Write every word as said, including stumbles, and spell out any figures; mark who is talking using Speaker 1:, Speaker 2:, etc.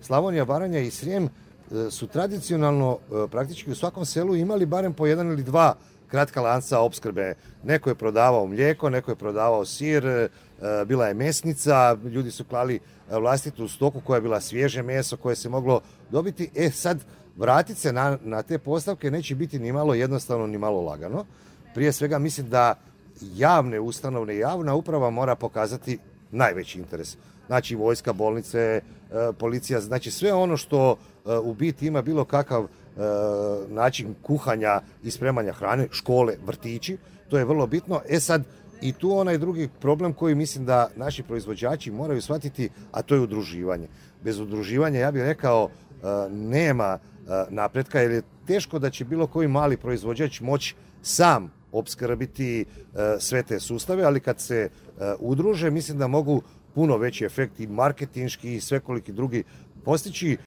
Speaker 1: Slavonija, Baranja i Srijem su tradicionalno praktički u svakom selu imali barem po jedan ili dva kratka lanca opskrbe. Neko je prodavao mlijeko, neko je prodavao sir, bila je mesnica, ljudi su klali vlastitu stoku koja je bila svježe meso koje se moglo dobiti. E sad, vratiti se na, na te postavke neće biti ni malo jednostavno, ni malo lagano. Prije svega mislim da javne ustanove i javna uprava mora pokazati najveći interes. Znači vojska, bolnice, policija, znači sve ono što u biti ima bilo kakav način kuhanja i spremanja hrane, škole, vrtići, to je vrlo bitno. E sad, i tu onaj drugi problem koji mislim da naši proizvođači moraju shvatiti, a to je udruživanje. Bez udruživanja, ja bih rekao, nema napretka, jer je teško da će bilo koji mali proizvođač moći sam opskrbiti sve te sustave, ali kad se udruže, mislim da mogu puno veći efekt i marketinški i svekoliki drugi postići.